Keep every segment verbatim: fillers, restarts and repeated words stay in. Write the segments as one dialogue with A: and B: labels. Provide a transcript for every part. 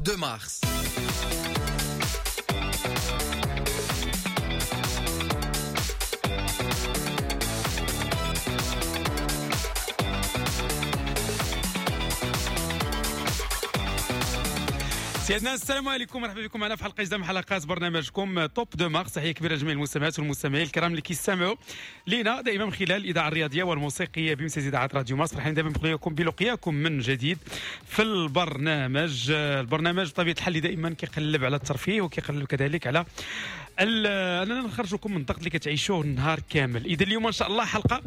A: deux mars.
B: سيدنا السلام عليكم، مرحبا بكم معنا في حلقة جديدة من حلقات برنامجكم Top deux mars. تحية كبيرة لجميع المستمعات والمستمعين الكرام اللي كيستمعوا لينا دائما من خلال الاذاعة الرياضية والموسيقيه بامتياز اذاعة راديو مارس. فرحانين دائما بلقياكم بلقياكم من جديد في البرنامج. البرنامج بطبيعة الحال اللي دائما كيقلب على الترفيه وكيقلب كذلك على اننا نخرجكم من الضغط اللي كتعيشوه النهار كامل. اذا اليوم ان شاء الله حلقة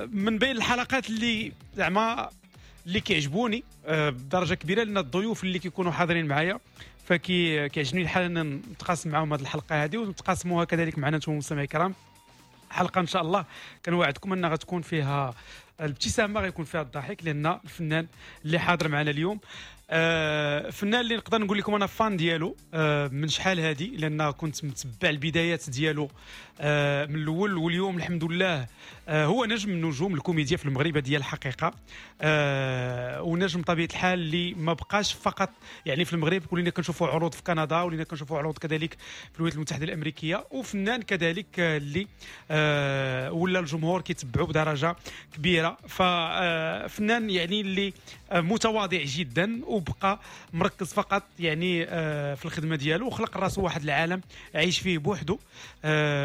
B: من بين الحلقات اللي زعما اللي كيعجبوني بدرجة كبيرة، لان الضيوف اللي كيكونوا حاضرين معايا فكي كيعجبني الحال ان نتقاسم معاهم هذه الحلقة هذه ونتقاسموها كذلك معنا انتم المستمعين الكرام. حلقة ان شاء الله كنوعدكم انها غتكون فيها الابتسامة، غيكون فيها الضحك، لان الفنان اللي حاضر معنا اليوم آه فنان اللي نقدر نقول لكم انا fan ديالو آه من شحال هادي، لان كنت متبع البدايات ديالو آه من الاول، واليوم الحمد لله آه هو نجم من نجوم الكوميديا في المغرب ديال الحقيقة، آه ونجم طبيعة الحال اللي ما بقاش فقط يعني في المغرب، ولينا كنشوفوا عروض في كندا، ولينا كنشوفوا عروض كذلك في الولايات المتحدة الامريكية، وفنان كذلك اللي آه ولا الجمهور كيتبعو بدرجة كبيرة. ففنان يعني اللي متواضع جدا وبقى مركز فقط يعني في الخدمة ديالو، وخلق راسو واحد العالم عايش فيه بوحده،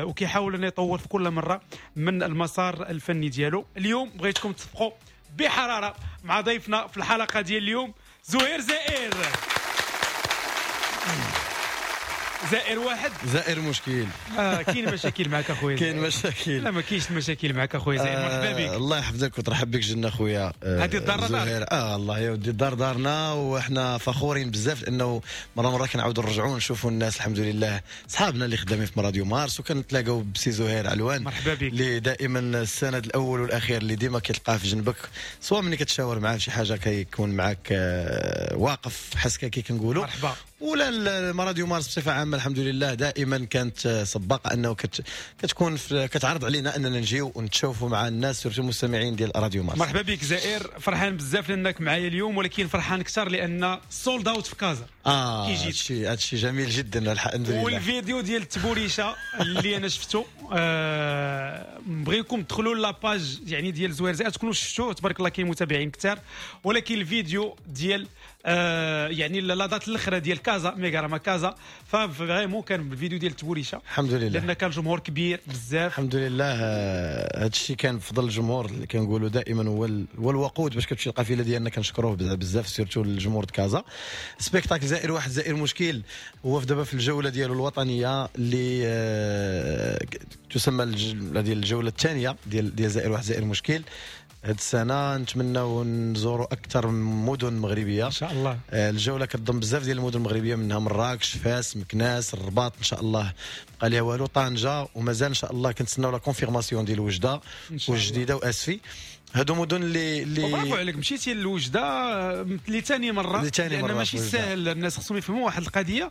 B: وكيحاول انه يطور في كل مرة من المسار الفني ديالو. اليوم بغيتكم تصفقوا بحرارة مع ضيفنا في الحلقة ديال اليوم زهير زائر. زائر واحد
C: زائر مشكل.
B: آه كاين مشاكل معك اخويا؟
C: كاين مشاكل.
B: لا ما كاينش مشاكل معك اخويا زائر. مرحبا بك.
C: الله يحفظك وترحب بك جنة خويا.
B: هذه الدار دار.
C: اه الله يا ودي الدار دارنا، وحنا فخورين بزاف لانه مرة مرة كنعاودوا نرجعوا نشوفوا الناس الحمد لله صحابنا اللي خدامين في راديو مارس، وكنتلاقاو بسي زهير علوان.
B: مرحبا بك.
C: اللي دائما السند الاول والاخير اللي ديما كتلقاه في جنبك، سواء ملي كتشاور معاه في شي حاجة كيكون معاك آه واقف حسكه كي كنقولوا.
B: مرحبا.
C: ولا راديو مارس بصفة عامة الحمد لله دائما كانت سباقه انه كت كتكون كتعرض علينا اننا نجيو ونتشوفوا مع الناس surtout المستمعين ديال راديو مارس.
B: مرحبا بك زائر، فرحان بزاف لانك معايا اليوم، ولكن فرحان اكثر لان sold out في كازا.
C: اه هادشي هادشي جميل جدا الحمد لله.
B: والفيديو ديال التبوريشه اللي انا شفته آه بغيكم تدخلوا la page يعني ديال زهير زائر تكونوا شفتوه، تبارك الله كاين متابعين كثار، ولكن الفيديو ديال آه يعني la date الاخرى ديال كازا ميغاراما كازا، ف vraiment كان بالفيديو ديال التبوريشه
C: الحمد لله،
B: لان كان جمهور كبير بزاف
C: الحمد لله. هذا الشيء كان بفضل الجمهور اللي كنقولوا دائما هو هو الوقود باش كتمشي القافلة ديالنا، كنشكروه بزاف surtout الجمهور د كازا. spectacle زائر واحد زائر مشكل هو في دابا في الجولة ديالو الوطنية اللي آه تسمى ديال الجولة الثانية ديال ديال زائر واحد زائر مشكل. هاد السنة نتمناو نزوروا اكثر مدن مغربية
B: ان شاء الله.
C: الجولة كتضم بزاف ديال المدن المغربية، منها مراكش، فاس، مكناس، الرباط ان شاء الله بقى ليها والو، طنجه، ومازال ان شاء الله كنتسناو la confirmation ديال وجده والجديده واسفي. هادو مدن اللي اللي
B: برافو عليك مشيتي لوجده لثاني مرة، لان ماشي ساهل. الناس خصهم يفهموا واحد القضية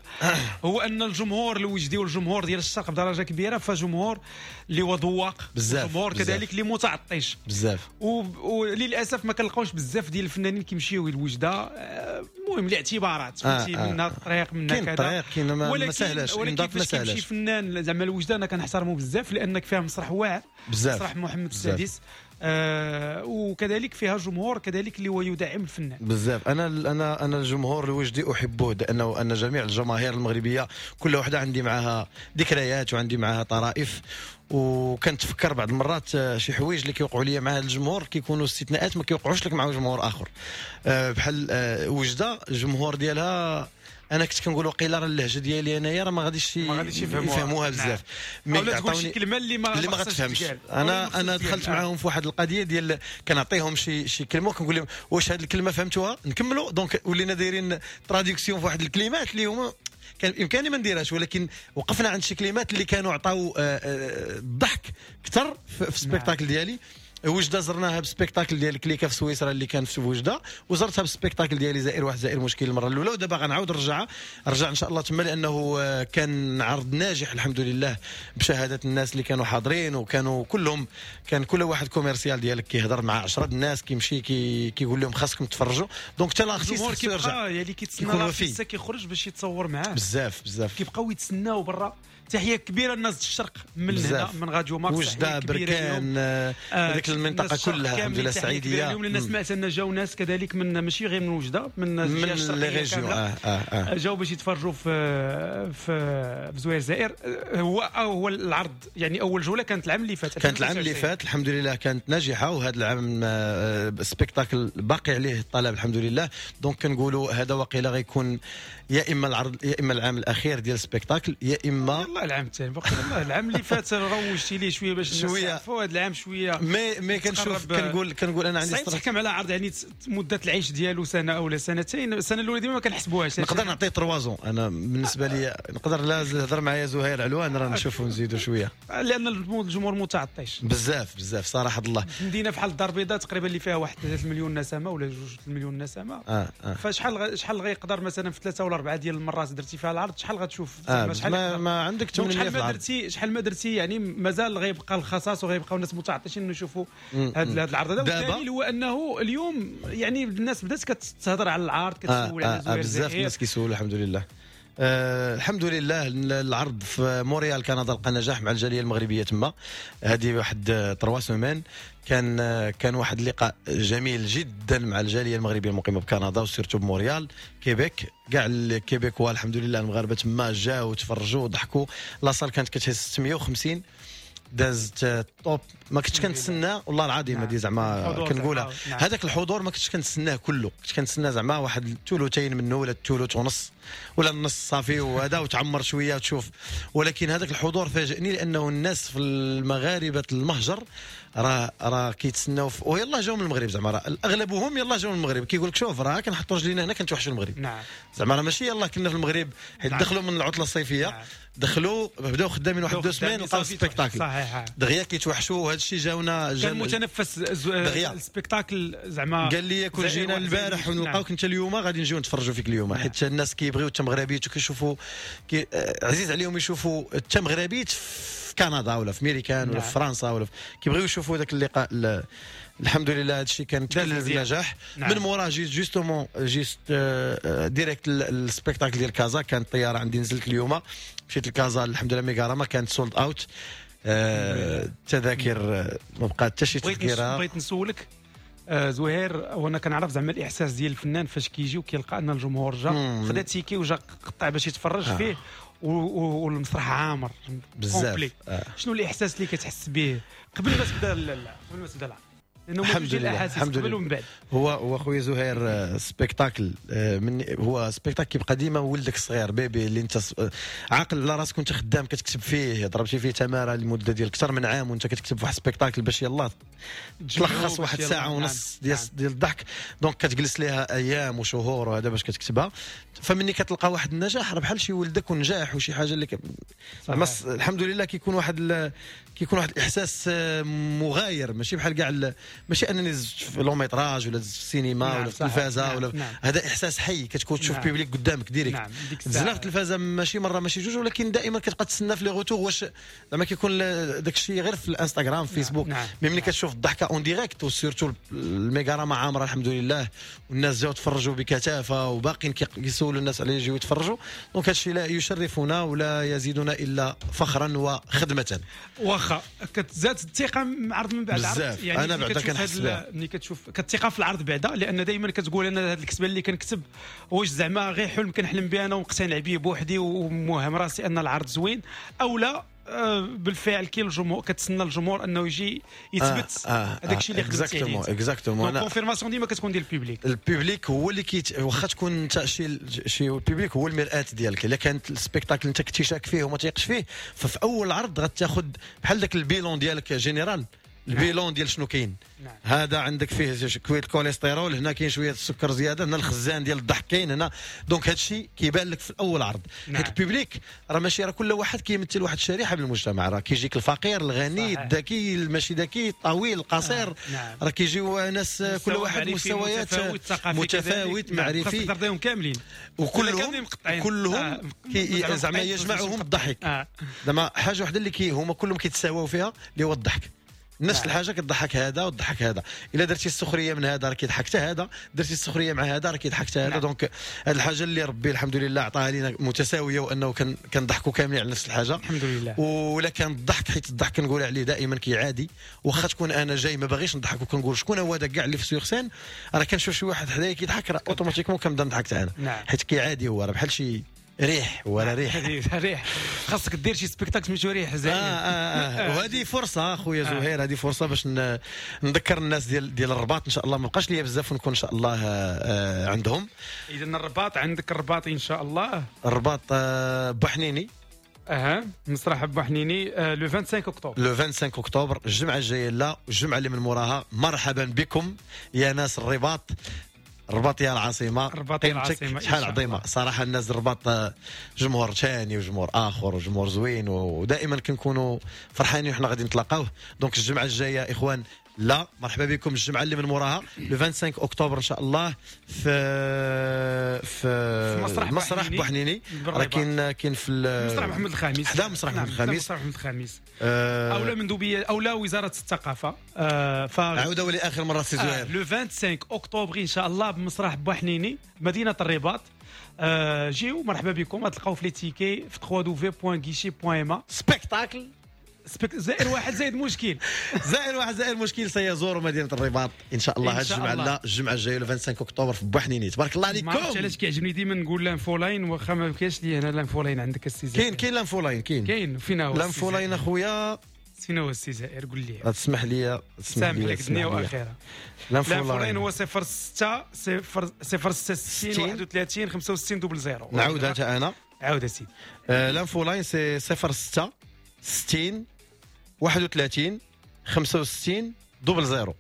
B: هو ان الجمهور الوجدي والجمهور ديال الشرق بدرجة كبيرة فجمهور اللي هو ذواق، جمهور كذلك اللي متعطش
C: بزاف،
B: وللاسف ما كنلقاوش بزاف ديال الفنانين كيمشيو لوجده. المهم الاعتبارات فهمتي، آه منها الطريق منها
C: كذا، كاين الطريق كاين ما سهلاش،
B: ولكن فاش كيمشي فنان زعما لوجده انا كنحترمو بزاف لانك فيها مسرح واعر
C: بزاف،
B: مسرح محمد السادس، آه وكذلك فيها جمهور كذلك اللي هو يدعم الفنان
C: بزاف. انا انا انا الجمهور الوجدي احبه، لانه ان جميع الجماهير المغربية كل وحده عندي معها ذكريات وعندي معها طرائف، وكنتفكر بعض المرات شي حوايج اللي كيوقعوا لي مع هذا الجمهور كيكونوا استثناءات ما كيوقعوش لك مع جمهور اخر. آه بحال آه وجده الجمهور ديالها انا كنت كنقول وقيله راه اللهجة ديالي انايا راه ما غاديش
B: ما غاديش
C: يفهموها بزاف،
B: mais عطاوني كلمة اللي ما
C: اللي ما غتفهمش. انا انا دخلت معاهم في واحد القضية ديال كنعطيهم شي شي كلمة وكنقول لهم واش هذه الكلمة فهمتوها نكملوا، donc ولينا دايرين traduction في واحد الكلمات اللي هما كان بامكاني ما نديرهاش، ولكن وقفنا عند شي كلمات اللي كانوا عطاو الضحك اكثر في ال spectacle ديالي. وجده زرناها ب spectacle ديال كليكا في سويسرا اللي كان في وجده، وزرتها ب spectacle ديالي زائر واحد زائر مشكل المرة الاولى، ودابا غنعاود نرجعها رجع ان شاء الله تما، لانه كان عرض ناجح الحمد لله بشهادة الناس اللي كانوا حاضرين، وكانوا كلهم كان كل واحد commercial ديالك كيهضر مع عشرة الناس، كيمشي كي كيقول لهم خاصكم تفرجوا. donc حتى l'artiste خصو يرجع،
B: يعني كيتسنى l'artiste كيخرج باش يتصور معاه
C: بزاف بزاف،
B: كيبقاو يتسناو برا. تحية كبيرة للناس الشرق من هنا من راديو مارس،
C: وجده بركان هذيك المنطقة كلها الحمد لله السعيديه.
B: اليوم لان سمعت ان جاو ناس كذلك من ماشي غير من وجده، من
C: الجهة الشرقية كاملة، آه آه آه.
B: جاو باش يتفرجوا في في في زهير زائر. هو هو العرض يعني اول جولة كانت العام اللي فات،
C: كانت العام اللي فات الحمد لله كانت ناجحة، وهذا العام spectacle باقي عليه الطلب الحمد لله. donc كنقولوا هذا وقيله غيكون يا اما العرض يا اما العام الاخير ديال ال spectacle، يا اما
B: والله العام الثاني. والله العام اللي فات روجتي ليه شوية باش
C: شوية
B: هذا العام شوية
C: mais mais كنشوف كنقول كنقول انا عندي
B: تحكم على عرض يعني مده العيش ديالو سنة او سنتين. السنة الاولى ديما ما كنحسبوهاش،
C: نقدر نعطي trois ans انا بالنسبة لي، نقدر لا هضر معايا زهير علوان راه نشوفوا نزيدوا شوية،
B: لان الجمهور متعطش
C: بزاف بزاف صراحة الله.
B: مدينة بحال الدار البيضاء تقريبا اللي فيها واحد ثلاثة مليون نسمه ولا جوج مليون نسمه، آه آه. فشحال شحال غيقدر مثلا في ثلاثة ولا اربعة ديال المرات درتي فيها العرض شحال غتشوف؟
C: آه شحال ما, ما عندك
B: شحال ما درتي شحال ما درتي يعني مازال غيبقى الخصاص وغيبقاو الناس متعطشين انه يشوفوا هذا العرض هذا. والدليل هو انه اليوم يعني الناس بدات كتهضر على العرض، كتسول
C: آه
B: على زهير
C: آه بزاف الناس كيسولوا الحمد لله. أه الحمد لله العرض في مونريال كندا لقى نجاح مع الجالية المغربية تما، هذه واحد trois semaines كان كان واحد اللقاء جميل جدا مع الجالية المغربية المقيمه بكندا و surtout بمونريال كيبيك. كاع ال Québécois الحمد لله المغاربة تما جاو وتفرجوا وضحكوا. la salle كانت كتهز ستمية وخمسين، دازت top. ما كنتش كنتسنى والله العظيم هذه زعما كنقولها، هذاك الحضور ما كنتش كنتسناه كله، كنت كنتسنى زعما واحد الثلثين منه ولا الثلث ونص ولا النص صافي وهذا وتعمر شوية وتشوف. ولكن هذاك الحضور فاجئني، لانه الناس في المغاربة المهجر راه راه كيتسناو ويلاه جاو من المغرب، زعما راه اغلبهم يلاه جاو من المغرب، كيقول لك شوف راه كنحطوا رجلينا هنا كنتوحشوا المغرب.
B: نعم.
C: زعما راه ماشي يلاه كنا في المغرب، حيت نعم. دخلوا من العطلة الصيفية. نعم. دخلوا بداو خدامين واحد deux semaines لقاو spectacle دغيا كيتوحشوا. وهذا الشيء جاونا
B: كان متنفس ال spectacle زعما.
C: قال لي كون جينا البارح ونلقاوك انت اليوم غادي نجيو نتفرجوا فيك اليوم، حيت الناس كيبغيو التمغربيت وكيشوفوا كي عزيز عليهم يشوفوا التمغربيت في كندا ولا في ميريكان ولا في فرنسا ولا في... كيبغيو يشوفوا ذاك اللقاء. الحمد لله هذا الشيء كان تكلل بالنجاح. نعم. من موراه جيت justement جيت direct ال spectacle ديال كازا، كانت الطيارة عندي نزلت اليوم مشيت لكازا الحمد لله ميغاراما كانت sold out. التذاكر ما بقات حتى شي تذكره.
B: بغيت نسولك آه زهير، وانا كنعرف زعما الاحساس ديال الفنان فاش كيجي وكيلقى ان الجمهور جا خدا ticket وجا قطع باش يتفرج آه. فيه والمسرح عامر
C: بزاف. آه.
B: شنو الاحساس اللي كتحس به قبل ما تبدا قبل ما تبدا العرض؟ لانه
C: الحمد لله الحمد
B: لله. ومن بعد
C: هو هو خويا زهير spectacle من هو spectacle كيبقى ديما ولدك الصغير bébé اللي انت عاقل على راسك وانت خدام كتكتب فيه، ضربتي فيه تماره لمدة ديال اكثر من عام وانت كتكتب واحد spectacle باش يلاه تلخص واحد ساعة ونص ديال ديال الضحك، donc كتجلس ليها ايام وشهور وهذا باش كتكتبها. فمني كتلقى واحد النجاح راه بحال شي ولدك ونجاح وشي حاجة اللي ك... الحمد لله كيكون واحد ال... كيكون واحد الاحساس مغاير، ماشي بحال كاع ال... ماشي انني زدت في long métrage ولا زدت في السينما. نعم ولا في التلفازه. نعم ولا نعم. هذا احساس حي كتكون تشوف. نعم. public قدامك direct. نعم. تزنا في التلفازه ماشي مرة ماشي جوج، ولكن دائما كتبقى تسنى في les retours واش زعما كيكون داك الشيء غير في الانستغرام في فيسبوك. نعم. mais ملي كتشوف الضحكة en direct و surtout الميغاراما عامرة الحمد لله والناس جاو تفرجوا بكثافة وباقيين كيسولوا الناس على يجيو يتفرجوا، donc هادشي لا يشرفنا ولا يزيدنا الا فخرا وخدمه.
B: واخا كتزاد الثقة مع عرض من بعد
C: عرض، يعني انا بعدا كنحس بها
B: ملي كتشوف كتثقه في العرض بعدا، لان دائما كتقول انا هذا الكتبة اللي كنكتب واش زعما غير حلم كنحلم به انا ومقتنع به بوحدي وموهم راسي ان العرض زوين او لا. بالفعل كاين الجمهور كتسنى الجمهور انه يجي يثبت هذاك الشيء اللي خدمتي عليه.
C: exactement
B: confirmation ديما كتكون ديال ال public.
C: ال public هو اللي كيت واخا تكون انت شي شي ال public هو المرآة ديالك. الا كانت ال spectacle انت كنتي شاك فيه وما تيقش فيه، ففي اول عرض غتاخذ بحال داك ال bilan ديالك général. ال bilan ديال شنو كاين. نعم. هذا عندك فيه شوية الكوليسترول، هنا كاين شوية السكر زيادة، هنا الخزان ديال الضحك كاين هنا. donc هذا الشيء كيبان لك في الاول عرض. نعم. حيت ال public راه ماشي، راه كل واحد كيمثل واحد الشريحة من المجتمع، راه كيجيك الفقير، الغني، الذكي، الماشي ذكي، الطويل، القصير. نعم. راه كيجيو ناس كل واحد مستويات متفاوت معرفي،
B: خاصك كاملين
C: وكلهم كلهم آه. زعما يجمعهم الضحك. زعما حاجة واحدة اللي كي هما كلهم كيتساواو فيها اللي هو الضحك. نفس نعم. الحاجة كتضحك هذا وتضحك هذا، الا درتي السخرية من هذا راه كيضحك حتى هذا، درتي السخرية مع هذا راه كيضحك حتى هذا. نعم. donc هذه الحاجة اللي ربي الحمد لله عطاها لينا متساوية، وانه كنضحكوا كاملين على نفس الحاجة
B: الحمد لله.
C: ولا كان الضحك، حيت الضحك كنقول عليه دائما كيعادي، واخا تكون انا جاي ما باغيش نضحك وكنقول شكون هو هذا كاع اللي في sur scène، راه كنشوف شي واحد حدايا كيضحك راه automatiquement كنبدا نضحك حتى انا. نعم. حيت كيعادي هو راه بحال شي ريح ولا ريح
B: ريح، خاصك دير شي spectacle سميتو ريح زعما.
C: آه آه آه. وهذه فرصة خويا زهير، هذه فرصة باش نذكر الناس ديال ديال الرباط ان شاء الله، ما بقاش ليا بزاف ونكون ان شاء الله آه عندهم.
B: اذا الرباط عندك، الرباط ان شاء الله،
C: الرباط آه بوحنيني.
B: اها مسرح بوحنيني آه le خمسة وعشرين اكتوبر،
C: le خمسة وعشرين اكتوبر الجمعة الجاية، لا الجمعة اللي من موراها. مرحبا بكم يا ناس الرباط، الرباط يا العاصمة،
B: الرباط يا العاصمة
C: شحال عظيمة صراحة. الناس الرباط جمهور ثاني وجمهور اخر وجمهور زوين، ودائما كنكونوا فرحانين وحنا غادي نتلاقاوه. donc الجمعة الجاية اخوان، لا مرحبا بكم الجمعة اللي من موراها le خمسة وعشرين اكتوبر ان شاء الله في في,
B: في مسرح,
C: مسرح بوحنيني. راه كاين كاين في
B: مسرح محمد الخامس،
C: حدا مسرح محمد الخامس،
B: مسرح محمد الخامس آه اولا مندوبيه اولا وزارة الثقافة. آه
C: ف عاودوا لاخر مرة سي زهير
B: آه le خمسة وعشرين اكتوبر ان شاء الله بمسرح بوحنيني مدينة الرباط. آه جيو مرحبا بكم، غتلقاو في les tickets في دبليو دبليو دبليو دوت غيشي دوت إم أ.
C: spectacle
B: spec زائر واحد زائد مشكل،
C: زائر واحد زائر مشكل سيزور مدينة الرباط ان شاء الله هذه الجمعة، لا الجمعة الجاية le خمسة وعشرين اكتوبر في بوحنيني. تبارك الله عليكم.
B: ما عرفتش علاش كيعجبني ديما نقول l'info line، واخا ما كاينش لي هنا l'info line. عندك السي زائر؟
C: كاين كاين l'info line، كاين
B: كاين فينا هو
C: l'info line اخويا؟
B: فينا هو السي زائر؟ قول لي،
C: تسمح لي
B: تسمح لي لك الدنيا واخره. l'info line هو صفر ستة صفر صفر ستة ستين واحد وثلاثين خمسة وستين double zéro.
C: نعاودها حتى انا،
B: عاود اسيدي.
C: l'info line c'est صفر ستة ستين واحد وثلاثين خمسة وستين double zéro.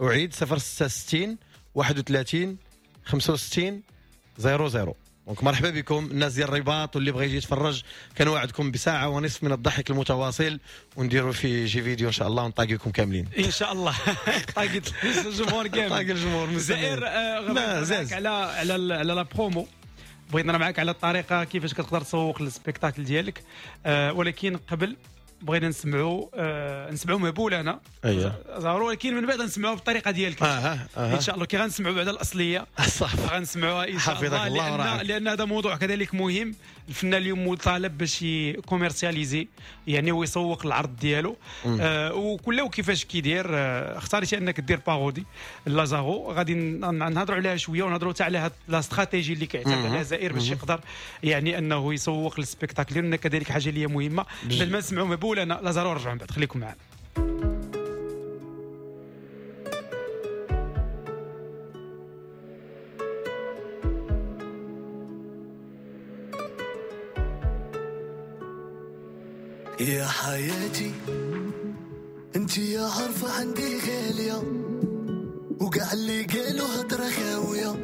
C: أعيد صفر ستة ستين واحد وثلاثين خمسة وستين zéro zéro. donc مرحبا بكم الناس ديال الرباط، واللي بغى يجي يتفرج كنوعدكم بساعة ونصف من الضحك المتواصل، ونديروا في شي فيديو ان شاء الله ونطاقيكم كاملين
B: ان شاء الله. طاقيت الجمهور كامل،
C: طاقي الجمهور.
B: زائر آه على على على la promo، بغيت نهضر معاك على الطريقة كيفاش كتقدر تسوق لل spectacle ديالك، آه ولكن قبل بغينا نسمعوا آه نسمعوا مهبول انا زهرو، ولكن من بعد نسمعوه بالطريقة ديالك.
C: آه آه.
B: ان شاء الله كي غنسمعوا بعد الاصلية
C: صح
B: غنسمعوها ان شاء الله،
C: الله
B: لان, لأن هذا موضوع كذلك مهم. الفنان اليوم مطالب باش commercialiser، يعني هو يسوق العرض ديالو آه وكل وكيفاش كيدير. آه اختاريتي انك دير parodie لازارو، غادي نهضروا عليها شوية ونهضروا حتى على هاد la stratégie اللي كيعتمد عليها زائر باش يقدر يعني انه يسوق لل spectacle، لان كذلك حاجة اللي هي مهمة. بعد ما نسمعوا مهبول انا لازارو رجعوا من بعد، خليكم معنا.
A: يا حياتي انت يا عارفة عندي غالية، وقع اللي قالوا هضرة خاوية،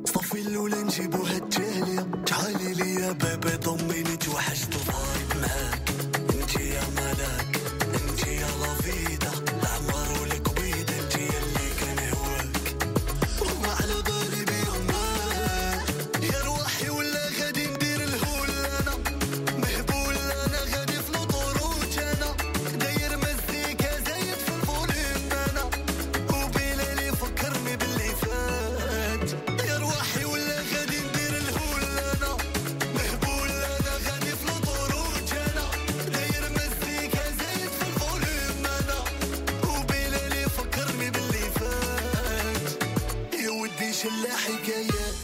A: صافي الأولى نجيبوها التالية، تعالي لي يا بابا ضميني توحشت ال vibe معاك، انت يا ملاك انت يا la vida العمر والكبيدة، انت اللي كان هواك وما على بالي بيهم يا روحي، ولا غادي ندير الهول انا مهبول، انا غادي في l'autoroute انا داير مزيكا زايد في ال volume انا، وبلالي فكرني باللي فات يا روحي، ولا غادي ندير الهول انا مهبول، انا غادي في l'autoroute انا داير مزيكا زايد في ال volume انا، وبلالي فكرني باللي فات يا ودي شلا حكايات.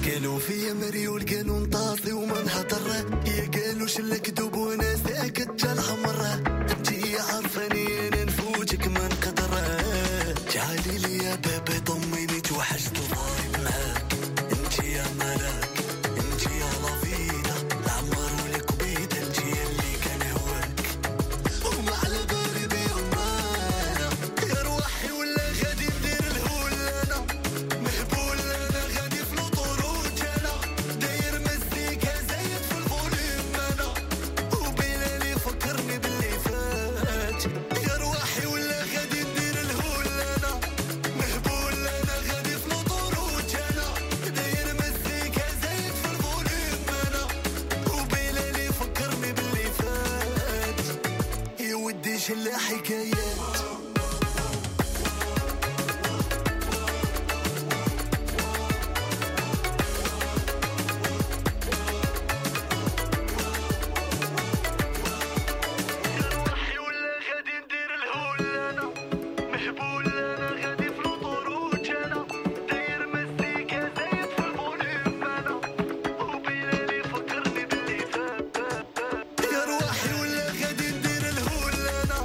A: قالوا فيا مريول قالوا نطاطي وما نهضر، يا قالوا شلا كذوب وانا ساكت الحمر، انت عارفاني انا نفوتك ما عزيزي ليا bébé طمني توحشت ال vibe معاك انت يا ملاك انت يا la vida العمر والكبيدة انت اللي كان هواك وما على بالي بيهم انا يا روحي ولا غادي ندير الهول انا مهبول انا غادي في l'autoroute انا داير مزيكا زايد في ال volume انا وبلالي فكرني باللي فات يا روحي ولا غادي ندير الهول انا مهبول انا غادي في l'autoroute انا داير مزيكا زايد في ال volume انا وبلالي فكرني باللي فات يا ودي شلا حكايات. روحي ولا غادي ندير الهول انا مهبول انا غادي في l'autoroute انا داير مزيكا زايد في ال volume انا وبلالي فكرني باللي فات يا روحي ولا غادي ندير الهول انا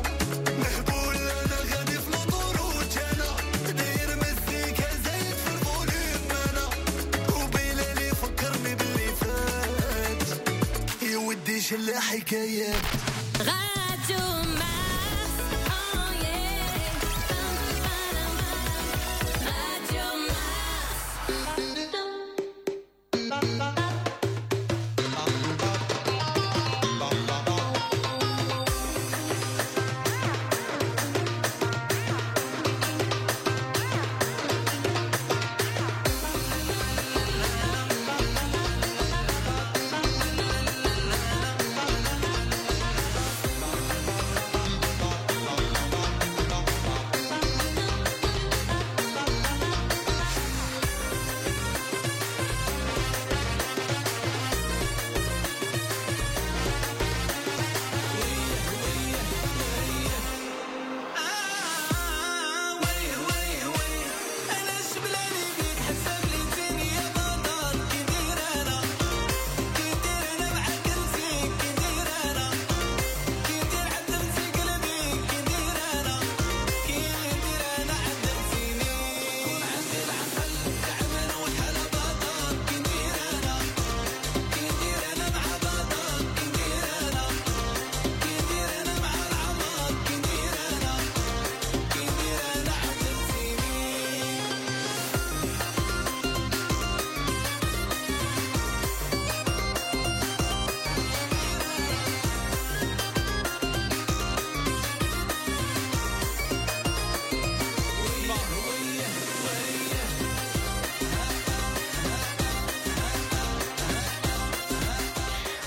A: مهبول انا غادي في l'autoroute انا داير مزيكا زايد في ال volume انا وبلالي فكرني باللي فات يا ودي شلا حكايات.
D: Radio Mars, oh yeah. Radio Mars.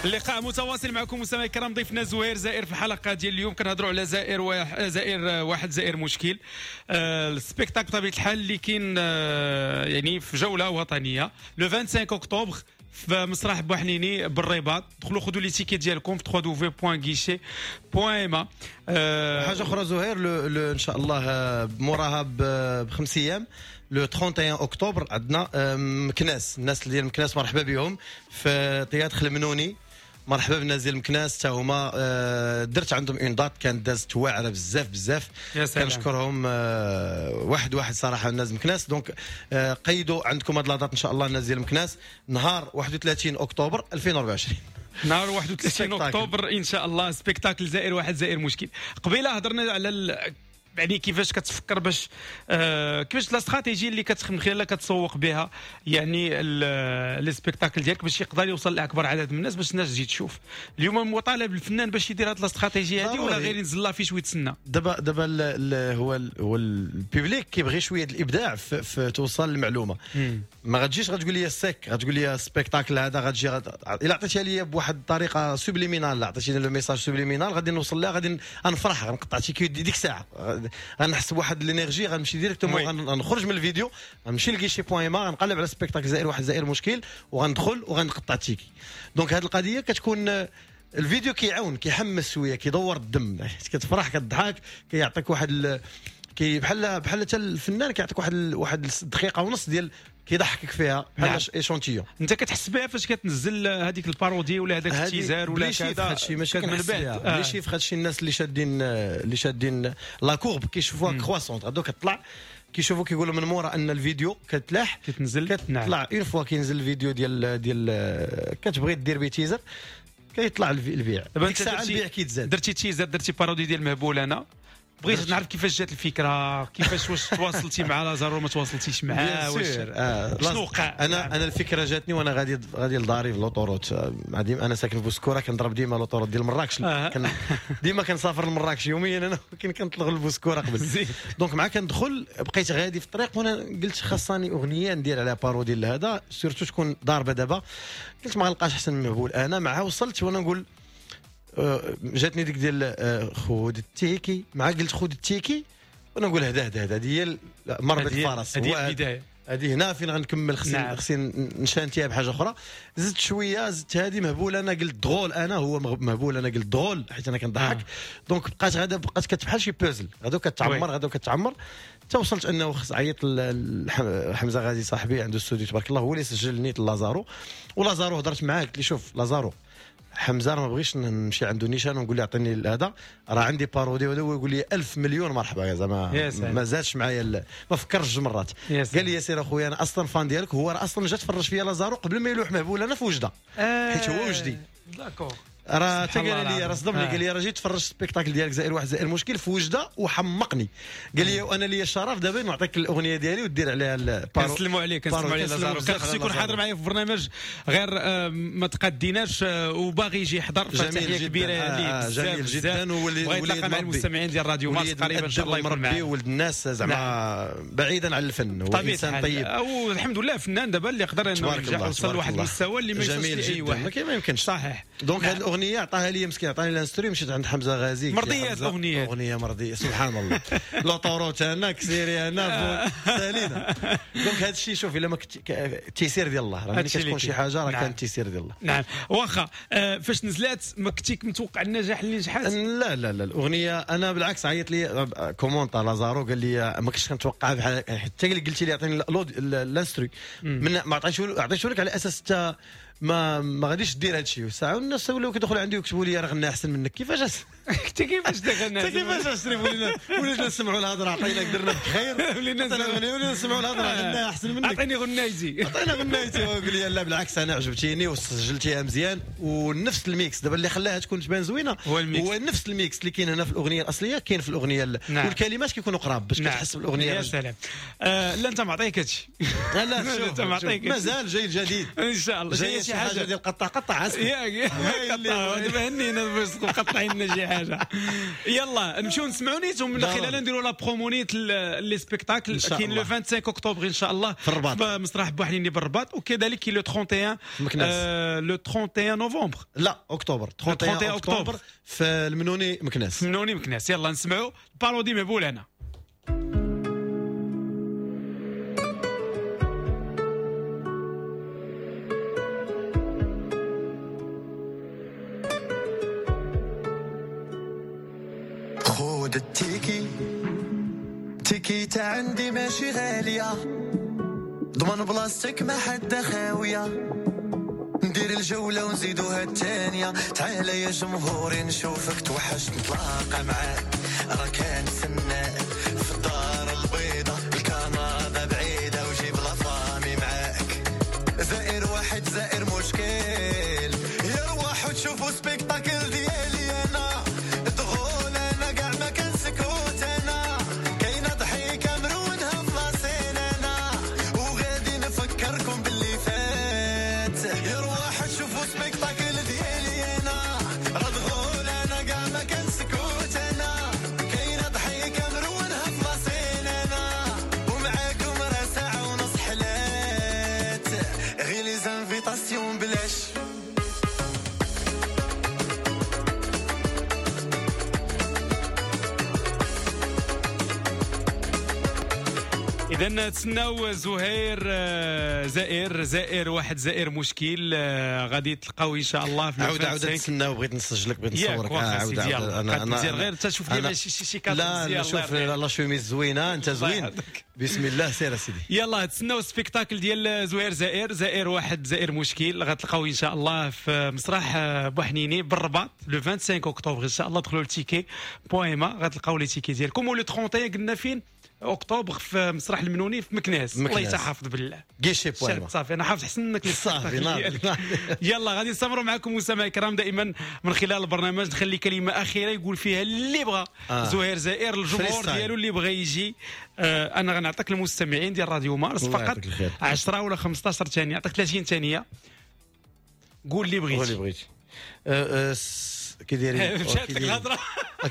B: اللقاء متواصل معكم مستمعي الكرام، ضيفنا زهير زائر في الحلقة ديال اليوم. كنهضروا على زائر واحد زائر واحد زائر مشكل، آه ال spectacle بطبيعة الحال اللي كاين آه يعني في جولة وطنية le خمسة وعشرين اكتوبر في مسرح بوحنيني بالرباط. دخلوا خذوا les tickets ديالكم في دبليو دبليو دبليو دوت guichet دوت ma.
C: آه حاجة اخرى زهير، le le ان شاء الله موراها بخمس ايام le واحد وثلاثين اكتوبر عندنا مكناس. الناس ديال مكناس مرحبا بهم في théâtre المنوني، مرحبا بالناس ديال مكناس حتى هما. درت عندهم une date كانت دازت واعرة بزاف بزاف، كنشكرهم واحد واحد صراحة الناس مكناس. donc قيدوا عندكم هاد la date ان شاء الله الناس ديال مكناس نهار واحد وثلاثين اكتوبر ألفين وأربعة وعشرين.
B: نهار واحد وثلاثين اكتوبر ان شاء الله spectacle زائر واحد زائر مشكل. قبيلة هضرنا على ال... يعني كيفاش كتفكر باش آه كيفاش la stratégie اللي كتخدم خلالها كتسوق بها يعني les spectacles ديالك باش يقدر يوصل لاكبر عدد من الناس باش الناس تجي تشوف. اليوم مطالب الفنان باش يدير هاد la stratégie هادي ولا غير ينزل l'affiche ويتسنى؟
C: دابا دابا هو ال هو ال public كيبغي شوية الابداع في, في توصل المعلومة. ما غتجيش غتقول لي السيك غتقول لي spectacle هذا غتجي غت... الا عطيتها لي بواحد الطريقة subliminale، عطيتيني le message subliminal غادي نوصل لها، غادي نفرح، غنقطع ticket ديك الساعة، غنحس بواحد l'énergie، غنمشي directement، غنخرج من الفيديو غنمشي ل guichet point ma، غنقلب على spectacle زائر واحد زائر مشكل وغندخل وغنقطع ticket. donc هذه القضية كتكون الفيديو كيعاون كيحمس شوية، كيدور الدم، كتفرح كتضحك، كيعطيك واحد ال... كي بحال بحال حتى الفنان كيعطيك واحد ال... واحد الدقيقة ونص ديال كيضحكك فيها بحال échantillon.
B: انت كتحس بها فاش كتنزل هذيك ال parodie ولا هذاك ال teaser ولا كذا؟
C: هادشي ماشي كنحس بها les chiffres. هادشي الناس اللي شادين اللي شادين la courbe كيشوفوها كرواسونت، غادو كتطلع. كيشوفوا كيقولوا من مورا ان الفيديو كتلاح
B: كتنزل،
C: كتطلع une fois كينزل الفيديو ديال ديال كتبغي دير بيه teaser كيطلع البيع.
B: دابا
C: ديك
B: انت
C: الساعة
B: درتي
C: البيع كيتزاد.
B: درتي teaser، درتي parodie ديال مهبول انا، بغيت نعرف كيفاش جات الفكرة، كيفاش واش تواصلتي مع لازارو ما تواصلتيش معاه، واش
C: آه
B: شنو وقع؟
C: انا انا الفكرة جاتني وانا غادي غادي لداري في l'autoroute، انا ساكن في بوسكوره كنضرب ديما l'autoroute ديال مراكش، آه. كن ديما كنسافر لمراكش يوميا انا، ولكن كنطلق لبوسكوره قبل. donc مع كندخل بقيت غادي في الطريق وانا قلت خاصني اغنية ندير عليها parodie لهذا، surtout تكون ضاربه دابا. قلت ما غنلقاش احسن من مهبول انا. مع وصلت وانا نقول جاتني ديك ديال خود ال ticket، مع قلت خود ال ticket وانا نقول هدا هدا هذه هي مربط الفرس،
B: هذه البداية،
C: هذه هنا فين غنكمل، خصني نعم. خصني نشانتيها بحاجة اخرى. زدت شوية، زدت هذه مهبول انا، قلت drôle انا، هو مهبول انا قلت drôle حيت انا كنضحك. آه. donc بقات غادا بقات كتبحال شي بوزل، غادا كتعمر غادا كتعمر حتى وصلت انه خص عيط لحمزة غازي صاحبي عنده استوديو تبارك الله، هو اللي سجل نيت لازارو. ولازارو هضرت معاه قلت لي شوف لازارو، حمزة ما بغيتش نمشي عنده نيشان ونقول له اعطيني هذا، راه عندي parodie وهذا، هو يقول لي ألف مليون مرحبا زعما ما زادش معايا، ما فكرش جوج مرات. قال لي ياسر اخويا انا اصلا fan ديالك، هو راه اصلا جا تفرج فيا لازارو قبل ما يلوح مهبول انا في وجده، حيت هو وجدي.
B: d'accord
C: راه حتى قال لي راه صدمني، قال لي راه جيت تفرجت spectacle ديالك زائر واحد زائر مشكل في وجده وحمقني. قال لي وانا لي الشرف دابا نعطيك الاغنية ديالي ودير عليها ال paro.
B: كنسلموا عليه، كنسلموا عليه لازارو، كان خصو يكون حاضر معايا في البرنامج، غير ما تقديناش وباغي يجي يحضر. فتحيه كبيرة ليه،
C: جميل جدا،
B: وولي مع المستمعين ديال راديو مارس قريبا ان شاء الله يكون معنا.
C: ولد الناس زعما بعيدا عن الفن، هو انسان طيب
B: والحمد لله، فنان دابا اللي قدر انه ينجح وصل لواحد المستوى اللي ما يوصلش لاي واحد،
C: ما يمكنش.
B: صحيح.
C: donc هذه الاغنية عطاها لي مسكين، عطاني l'instru، مشيت عند حمزة غازي.
B: مرضية الاغنية،
C: اغنية مرضية سبحان الله. l'autoroute انا كسيري انا سالينا. donc هذا الشيء شوف الا ما كنت التيسير ديال الله، راه ملي كتكون شي حاجة راه كان التيسير ديال الله.
B: نعم واخا. آه فاش نزلات ما كنتي متوقع النجاح اللي نجحات؟
C: لا لا لا الاغنية انا بالعكس عيط لي commenta لازارو قال لي ما كنتش كنتوقع بحال حتى قلتي لي عطيني l'instru، من ما عطيتو عطيتو لك على اساس حتى ما ما غاديش دير هذا الشيء. ساعة والناس ولاو كيدخلوا عندي ويكتبوا لي راه غنى احسن منك. كيفاش
B: انت كيفاش دخلنا
C: انت كيفاش اشري ولينا ولينا نسمعوا الهضرة، عطيناك درنا بك خير،
B: ولينا
C: ولينا نسمعوا الهضرة غنى احسن منك،
B: عطيني غنايتي
C: عطينا غنايتي. ويقول لي لا بالعكس انا عجبتيني وسجلتيها مزيان، ونفس ال mix دابا اللي خلاها تكون تبان زوينة
B: هو ال mix،
C: هو نفس ال mix اللي كاين هنا في الاغنية الاصلية كاين في الاغنية. نعم. والكلمات كيكونوا قراب باش كتحس بالاغنيه.
B: يا سلام. آه لا انت معطيك هادشي.
C: لا لا
B: انت معطيك،
C: مازال جاي الجديد
B: ان شاء الله،
C: جاي شي حاجة ديال قطع قطع
B: ياك دابا هنينا باش مقطعين لنا شي حاجة. يلا نمشيو نسمعوا نيت ومن خلالها نديروا la promo نيت les spectacles. كاين le خمسة وعشرين اكتوبر ان شاء الله
C: في الرباط،
B: مسرح بوحنيني بالرباط، وكذلك كاين le واحد وثلاثين le واحد وثلاثين نوفمبر،
C: لا اكتوبر، واحد وثلاثين اكتوبر في المنوني مكناس.
B: المنوني مكناس. يلا نسمعوا parodie مهبول انا.
A: خود ال ticket، ticket عندي ماشي غالية، ضمن بلاصتك ما حد خاوية، ندير الجولة ونزيدوها الثانية، تعال يا جمهوري نشوفك توحشت نتلاقى معاك، راه كنتسناك في الدار البيضاء، الكندا بعيدة وجيب la famille معاك، زائر واحد زائر مشكل، يا رواح وتشوفوا spectacle ديالي أنا، drôle أنا كاع ما كنسكوت أنا، كاينة ضحيكة مرونها في la scène أنا، وغادي نفكركم باللي فات، يا رواح تشوفوا spectacle ديالي أنا، راه drôle أنا كاع ما كنسكوت أنا، كاينة ضحيكة مرونها في la scène أنا، ومعاكم راه ساعة ونص حلات، غير les invitations بلاش.
B: إذا تسناو زهير زائر زائر واحد زائر مشكل، غادي تلقاو ان شاء الله في
C: عاود عاود تسناو. بغيت نسجلك، بغيت نصورك.
B: عاود عاود انا انا غير انت شوف لي شي شي كادر
C: مزيان. لا شوف la chemise زوينة، انت زوين، بسم الله سير اسيدي.
B: يلا تسناو spectacle ديال زهير زائر زائر واحد زائر مشكل، غتلقاو ان شاء الله في مسرح بوحنيني بالرباط le خمسة وعشرين اكتوبر ان شاء الله. دخلوا ل ticket point ma غتلقاو les tickets ديالكم. و le واحد وثلاثين قلنا فين؟ اكتوبر في مسرح المنوني في مكناس. الله يتحافظ بالله
C: guichet point
B: صافي انا حافظ حسن منك.
C: صافي
B: يلا غادي نستمروا معكم مستمعي الكرام دائما من خلال البرنامج. نخلي كلمة اخيرة يقول فيها اللي بغى آه. زهير زائر الجمهور ديالو اللي بغى يجي. آه انا غنعطيك المستمعين ديال راديو مارس فقط عشرة ولا خمسطاش ثانية، نعطيك ثلاثين ثانية، قول اللي بغيتي.
C: قول اللي بغيتي. أه كي دايرين
B: مشات لك الهضرة.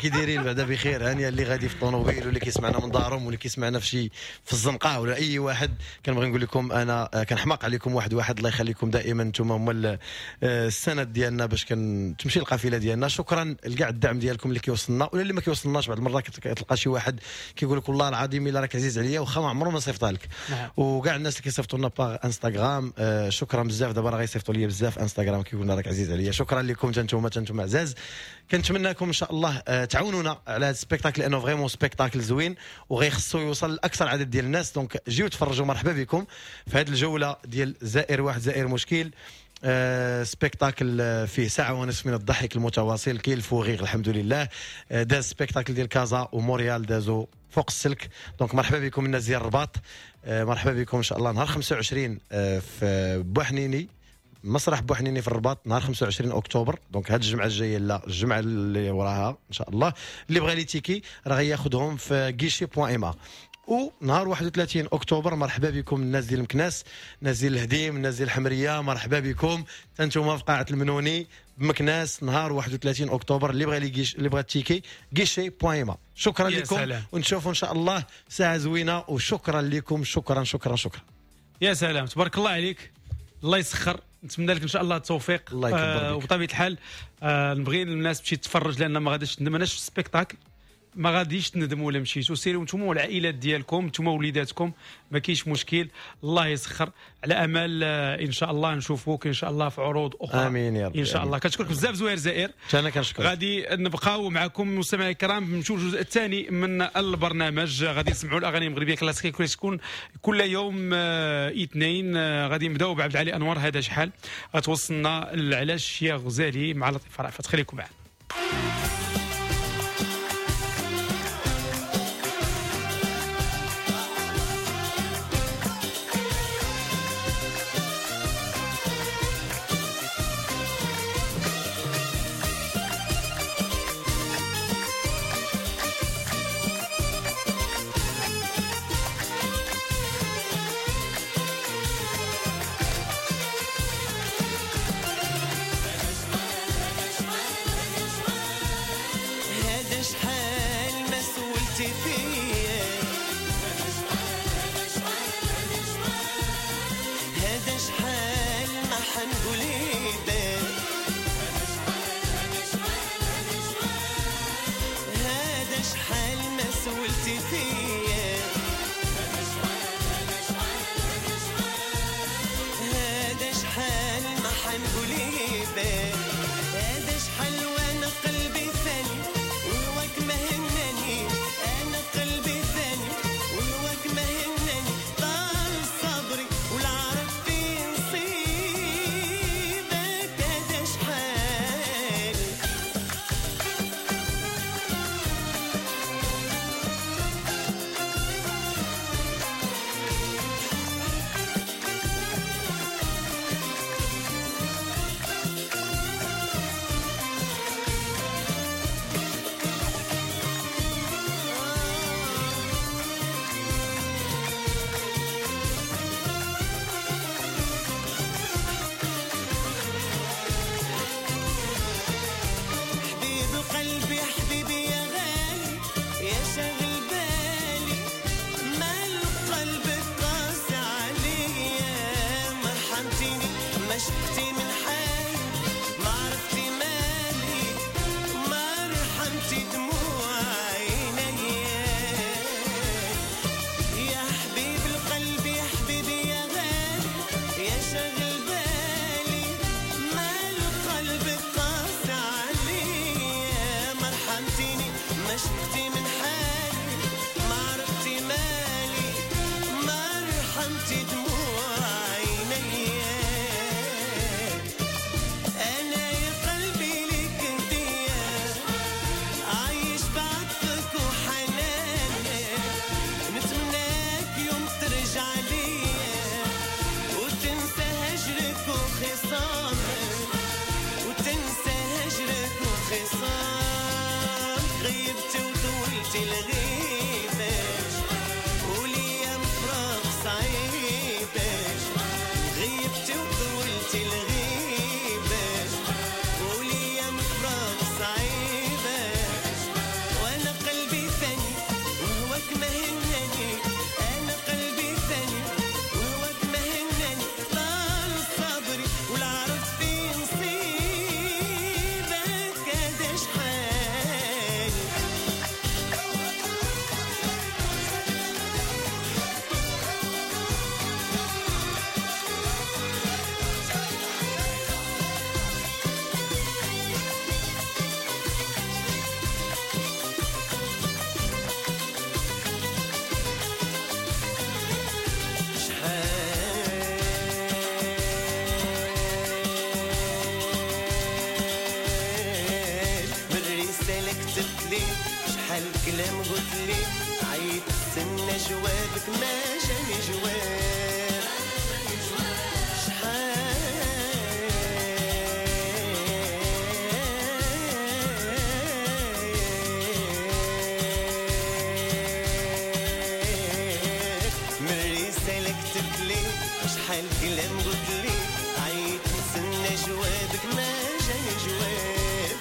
C: كي دايرين بعدا بخير هانيه اللي غادي في الطوموبيل واللي كيسمعنا من دارهم واللي كيسمعنا في شي في الزنقة ولا اي واحد، كنبغي نقول لكم انا كنحماق عليكم واحد واحد. الله يخليكم دائما انتم هما السند ديالنا باش كتمشي القافلة ديالنا. شكرا لكاع الدعم ديالكم اللي كيوصلنا ولا اللي ما كيوصلناش. بعض المرات كتلقى شي واحد كيقول لك والله العظيم الا راك عزيز عليا واخا ما عمره ما صيفطها لك. نعم. وكاع الناس اللي كيصيفطوا لنا par انستغرام شكرا بزاف. دابا راه غيصيفطوا لي بزاف انستغرام كيقول لنا راك عزيز عليا. شكرا لكم حتى انتم انتم عزاز. كنتمنى لكم ان شاء الله تعاونونا على هذا ال spectacle لانه vraiment spectacle زوين وغيخصو يوصل لاكثر عدد ديال الناس. donc جيو تفرجوا، مرحبا بكم في هذه الجولة ديال زائر واحد زائر مشكل. آه spectacle فيه ساعة ونصف من الضحك المتواصل، كاين ال fou rire الحمد لله. آه داز spectacle ديال كازا وموريال دازو فوق السلك. donc مرحبا بكم الناس ديال الرباط، آه مرحبا بكم ان شاء الله نهار خمسة وعشرين آه في بوحنيني، مسرح بوحنيني في الرباط نهار خمسة وعشرين اكتوبر. donc هاد الجمعة الجاية لا الجمعة اللي وراها ان شاء الله. اللي بغى les tickets راه غياخذهم في guichet point ma. ونهار واحد وثلاثين اكتوبر مرحبا بكم الناس ديال مكناس، الناس ديال الهديم، الناس ديال الحمريه، مرحبا بكم انتم في قاعة المنوني بمكناس نهار واحد وثلاثين اكتوبر. اللي بغى les guichets اللي بغى ال ticket guichet point ma. شكرا لكم ونشوفوا ان شاء الله ساعة زوينة. وشكرا لكم، شكرا شكرا شكرا.
B: يا سلام، تبارك الله عليك، الله يسخر. نتمنى لك ان شاء الله التوفيق.
C: الله يكبر بك.
B: آه وبطبيعة الحال آه نبغي الناس تمشي تتفرج لان ما غاديش تندم. انا شفت spectacle ما غاديش تندموا ولا مشيتوا، سيروا نتوما والعائلات ديالكم، نتوما وليداتكم، ما كاينش مشكل. الله يسخر. على امل ان شاء الله نشوفوك ان شاء الله في عروض اخرى.
C: امين يا رب.
B: ان شاء الله. كنشكرك بزاف زهير زائر.
C: انا كنشكرك.
B: غادي نبقاو معكم مستمعي الكرام، نمشيو الجزء الثاني من البرنامج. غادي نسمعوا الاغاني المغربية كلاسيكية تكون كل يوم اثنين. غادي نبداو بعبد العالي انور، هذا شحال غتوصلنا العلاش يا غزالي مع لطيفة رأفت. خليكم معنا.
A: We'll be right back. شحال كلام قلت لي عيط نستنى جوابك ما جاني جواب،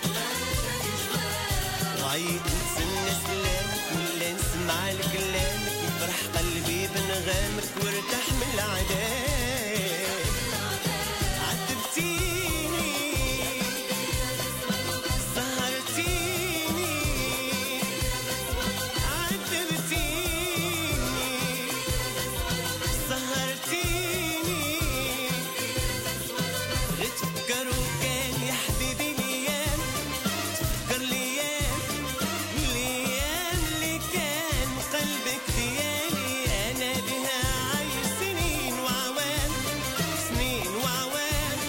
A: وعيط نستنى سلامك ولا نسمع لكلامك، يفرح قلبي بنغامك وارتاح من العذاب. عذبتيني سهرتيني، عذبتيني سهرتيني، غير تفكر وكان يا حبيبي ليام، تفكر ليام ليام اللي كان قلبك ديالي، انا بها عايش سنين وعوام، سنين وعوام،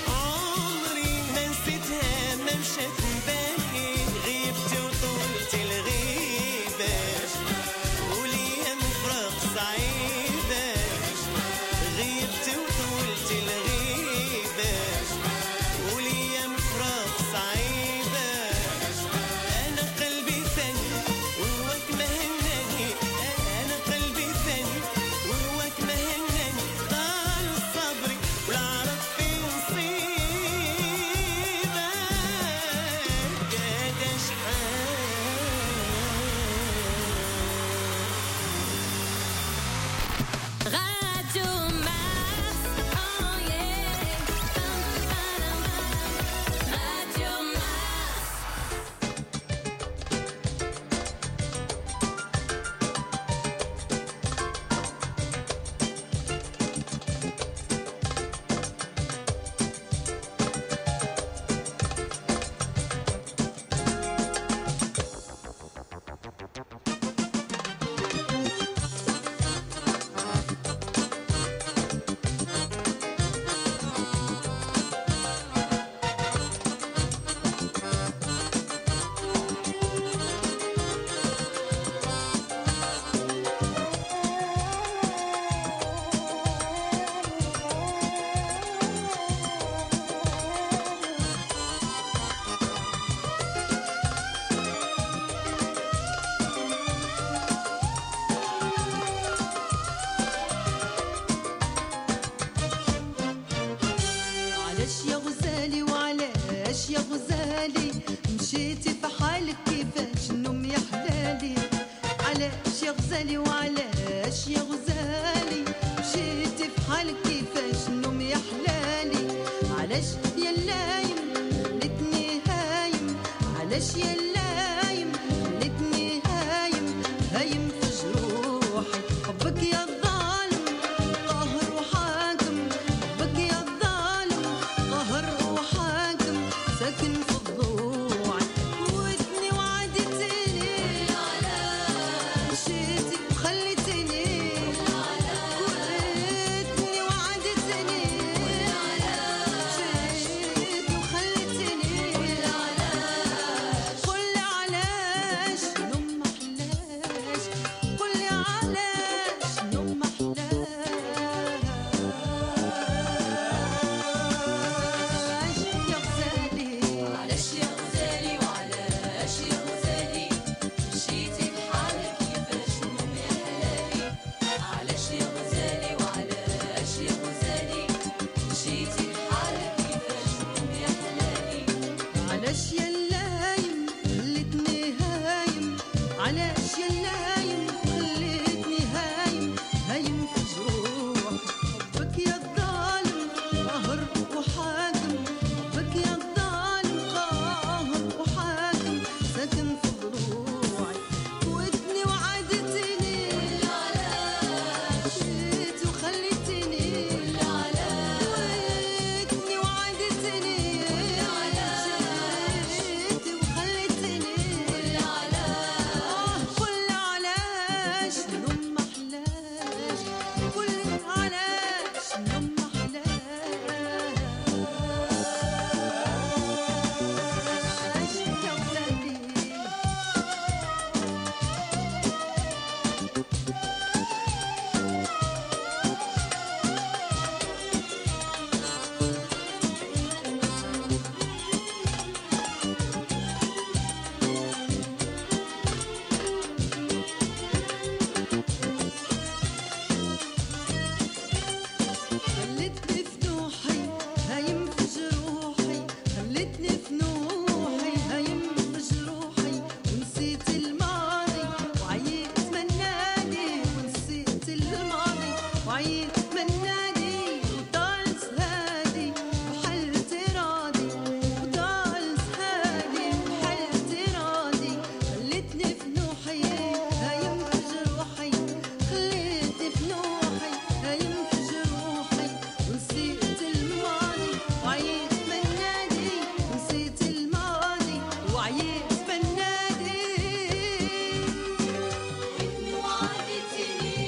A: عمري ما نسيتها ما مشات من بالي، غيبت وطولت الغيبة وليام فراق صعيبة، غيبت وطولت الغيبة وليام فراق صعيبة، أنا قلبي ثاني وهواك ما هناني، أنا قلبي ثاني وهواك ما هناني، طال صبري والعرف في نصيبك هذا شحال.
D: Radio Mars, oh yeah. Radio Mars.
E: علاش يا غزالي وعلاش يا غزالي مشيتي في حالك كيفاش النوم يا حلالي، علاش يا غزالي وعلاش يا غزالي مشيتي في حالك كيفاش النوم يا حلالي، علاش يا اللايم خلتني هايم، علاش يا اللايم خلتني هايم هايم في جروحي، حبك يا الظالم قاهر وحاكم، حبك يا الظالم قاهر وحاكم ساكن في ضلوعي، وعيت من نادي وطال سهادي وحالتي راضي وطال سهادي وحالتي راضي خليتني في نوحي هايم في جروحي خليتني في نوحي هايم في جروحي ونسيت الماضي وعيت من نادي نسيت الماضي وعيت من نادي
D: وعدتني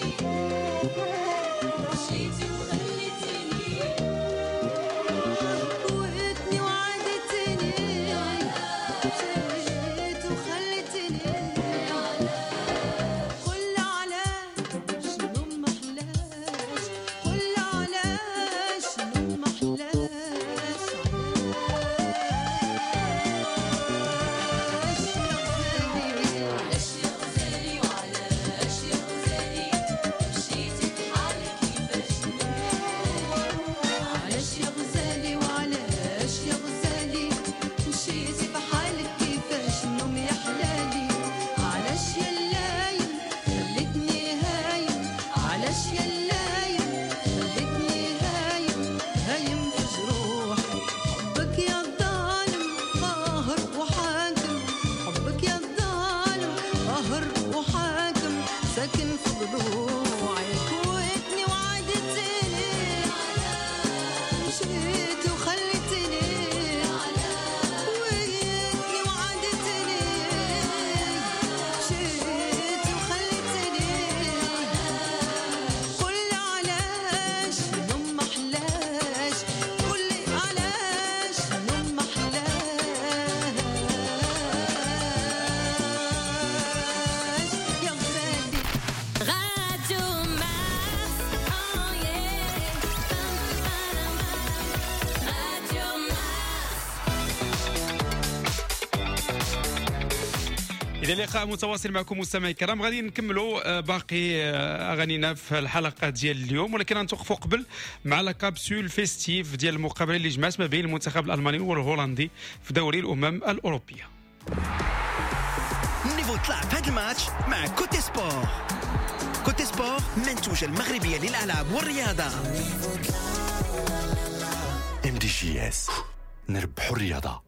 D: مشيتي وخليتني
E: وقتني وعدتني مشيت وخليتني قل علاش شنو محلاش قل علاش شنو محلاش علاش يا غزالي
D: علاش يا غزالي وعلاش يا غزالي مشيتي بحالك كيفاش
E: علاش يا غزالي وعلاش يا غزالي مشيتي بحالك كيفاش النوم يا حلالي علاش يا اللايم خليتني هايم علاش يا اللايم خليتني هايم هايم في جروحي حبك يا الظالم قاهر وحاكم حبك يا الظالم قاهر وحاكم ساكن في ضلوعي كويتني وعدتني مشيت وخليتني ويتني وعدتني مشيت وخليتني قل علاش نوم محلاش قل علاش نوم محلاش يا غزالي
D: Radio Mars, oh yeah. Radio Mars.
B: اذا لقاء متواصل معكم مستمعي الكرام، غادي نكملوا آه، باقي آه، اغانينا في الحلقة ديال اليوم، ولكن غنتوقفوا قبل مع la capsule festive ديال المقابلة اللي جمعت ما بين المنتخب الالماني والهولندي في دوري الامم الاوروبية.
A: ال niveau طلع في هذا الماتش مع Cote Sport. Cote Sport منتوجة المغربية للألعاب والرياضة.
F: MDJS نربحوا الرياضة.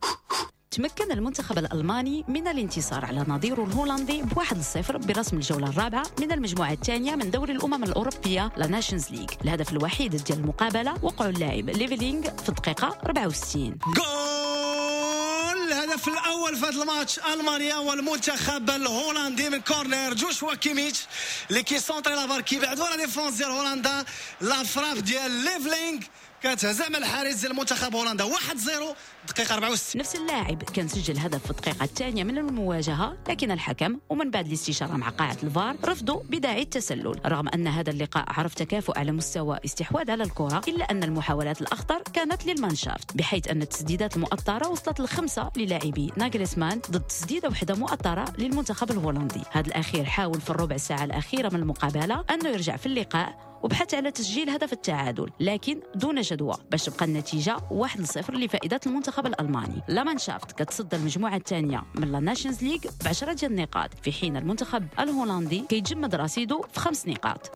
G: تمكن المنتخب الألماني من الانتصار على نظيره الهولندي بواحد صفر برسم الجولة الرابعة من المجموعة الثانية من دوري الأمم الأوروبية la Nations League. الهدف الوحيد ديال المقابلة وقعوا اللاعب ليفلينغ في الدقيقة أربعة وستين.
H: جول، الهدف الاول في هذا الماتش المانيا والمنتخب الهولندي من corner جوشوا كيميتش اللي كي centrer la balle كيبعدوا la défense ديال هولندا. la frappe ديال ليفلينغ كتهزم الحارس ديال المنتخب هولندا. واحد صفر دقيقة أربعة وستين.
G: نفس اللاعب كان سجل هدف في الدقيقة الثانية من المواجهة، لكن الحكم ومن بعد الاستشارة مع قاعة الفار رفضوا بداعي التسلل. رغم أن هذا اللقاء عرف تكافؤ على مستوى استحواذ على الكرة، إلا أن المحاولات الأخطر كانت للمانشافت، بحيث أن التسديدات المؤطرة وصلت لخمسة للاعبي ناغلسمان ضد تسديدة واحدة مؤطرة للمنتخب الهولندي. هذا الأخير حاول في الربع ساعة الأخيرة من المقابلة أنه يرجع في اللقاء وبحث على تسجيل هدف التعادل، لكن دون جدوى باش تبقى النتيجة واحد صفر لفائدة المنتخب الألماني. La Mannschaft كتصدر المجموعة الثانية من la Nations League بعشرة ديال النقاط، في حين المنتخب الهولندي كيتجمد رصيده في خمس نقاط.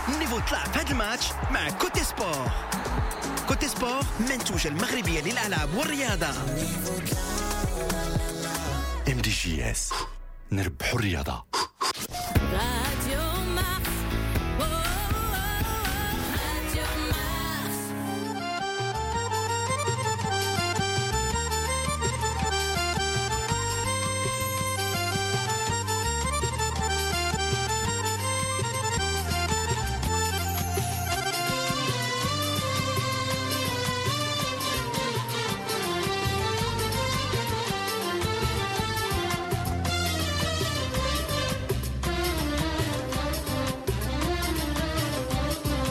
A: ال niveau طلع في هذا الماتش مع Cote Sport. Cote Sport منتوجة المغربية للألعاب والرياضة.
F: MDJS نربحوا الرياضة.
D: Radio Mars, oh, oh, oh, Radio Mars.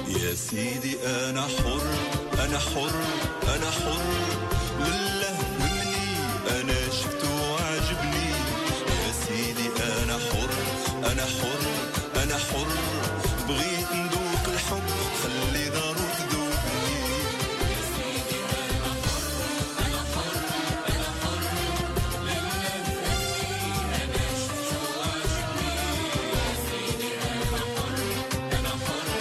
I: يا سيدي أنا حر، أنا حر، أنا حر، لله مني أنا شفته وعجبني. يا سيدي أنا حر، أنا حر، أنا حر، بغيت ندوق الحب خلي دارو تذوقني. يا سيدي أنا حر، أنا حر، أنا حر، لله مني أنا شفته وعجبني. يا سيدي أنا حر، أنا حر،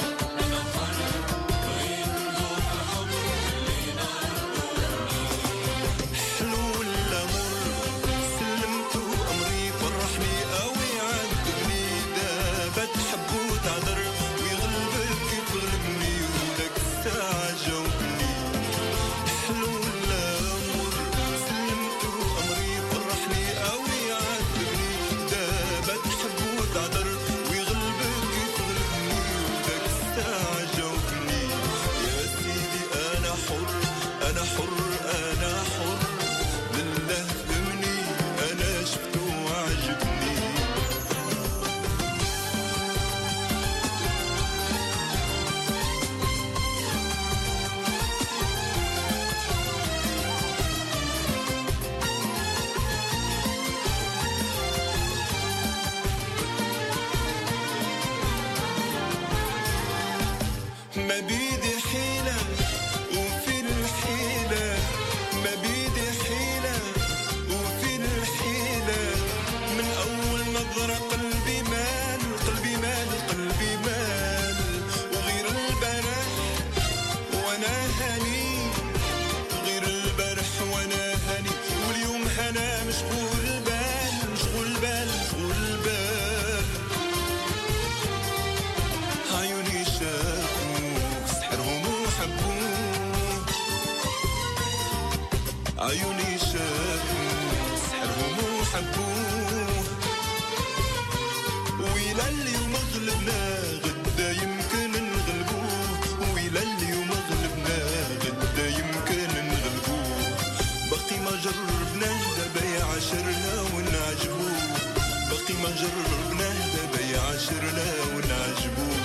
I: ما بيدي حيلة وفي الحيلة، ما بيدي حيلة وفي الحيلة، من أول نظرة قلبي مال، قلبي مال، قلبي مال، وغير البارح وانا هاني، غير البارح وانا هاني، واليوم هنا مشغول بال، مشغول بال، مشغول بال، عيوني شافوك سحرهم وحبوك، عيوني شافوك سحرهم وحبوك، وإلى اليوم غلبنا غدا يمكن نغلبوه، وإلى اليوم غلبنا غدا يمكن نغلبوه، باقي ما جربناه دابا يعاشرنا ونعجبوه، باقي ما جربناه دابا يعاشرنا ونعجبوه،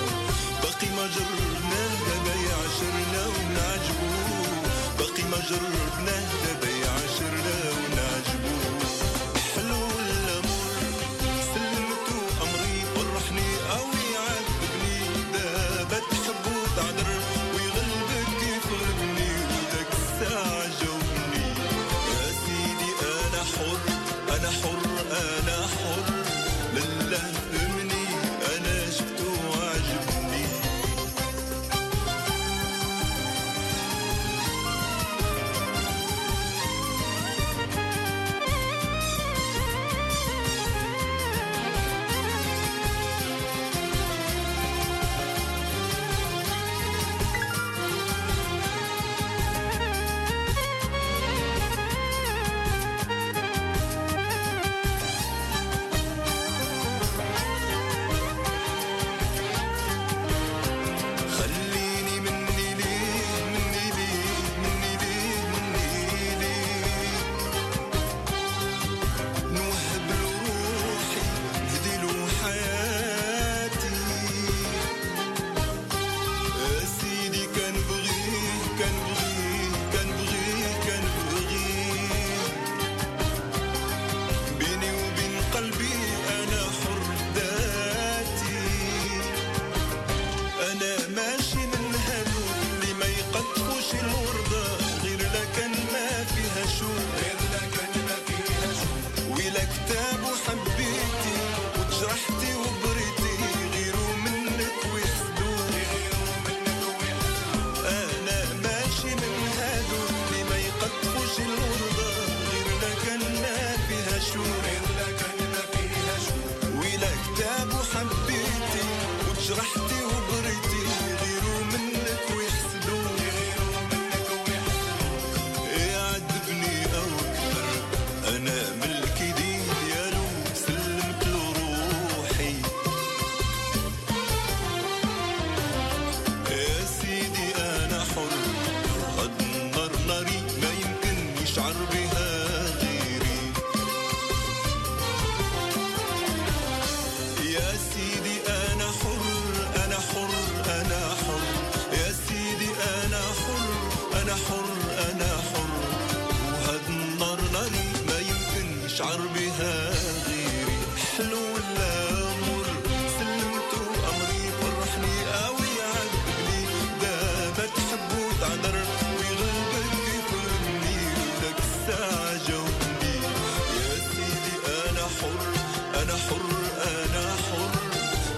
I: باقي ما جربناه دابا يعاشرنا ونعجبوه، باقي ما جربناه دابا يعاشرنا ونعجبوه. حلو الأمور سلمتو أمري، فرحني أو يعذبني، دابا تحب وتعذر ويغلبك كيف غلبني، وداك الساعة جاوبني يا سيدي أنا حر، أنا حر، أنا حر، لله فهمني أنا شفتو وعجبني. خليني مني ليه، مني ليه، مني ليه، مني ليه، نوهب له روحي، نهدي له حياتي، يا سيدي كان بغيه، كان بغيه، كان بغيه، كان بغيه، بيني وبين قلبي أنا حر ذاتي، أنا ماشي من هادوك اللي ما يقطفوش الوردة غير لكن ما فيها شوك، غير لكن ما فيها شوك، وإلا كتاب وحبيتي وتجرحتي وبريتي، غيرو منك ويحسدوك، غيرو منك ويحسدوك، أنا ماشي من هادوك اللي ما يقطفوش الوردة غير لكن ما فيها شوك، غير لكن ما فيها شوك، وإلا كتاب وحبيتي وتجرحتي وبريتي، غيرو منك ويحسدوك، غيرو منك ويحسدوك، يعذبني أو أكثر أنا ملكي ديالو، سلمت له روحي يا سيدي أنا حر، هاد النار ناري ما يمكن يشعر بها غيري، يا سيدي أنا حر، أنا حر، أنا حر، يا سيدي أنا حر، أنا حر، أنا حر، وهاد النار ناري ما يمكن يشعر بها غيري، حلو ولا مر سلمتو أمري، فرحني أو يعذبني، دابا تحب وتعذر ويغلبك يفهمني، وداك الساعة جاوبني يا سيدي أنا حر، أنا حر، أنا حر،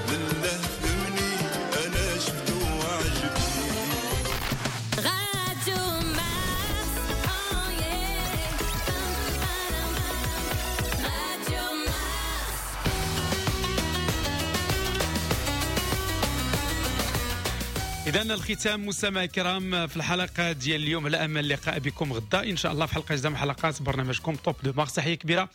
I: لله فهمني أنا شفتو وعجبني.
D: Radio Mars, oh yeah. Radio Mars.
B: إذا الختام مستمعي الكرام في الحلقة ديال اليوم، على أمل اللقاء بكم غدا إن شاء الله في حلقة جديدة من حلقات برنامجكم Top de Mars. تحية كبيرة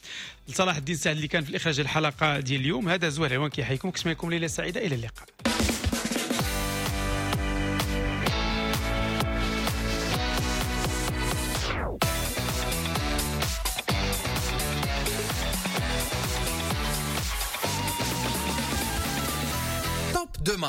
B: لصلاح الدين سعد اللي كان في الإخراج الحلقة ديال اليوم. هذا زهير العوان كيحييكم، كنتمنى لكم ليلة سعيدة، إلى اللقاء.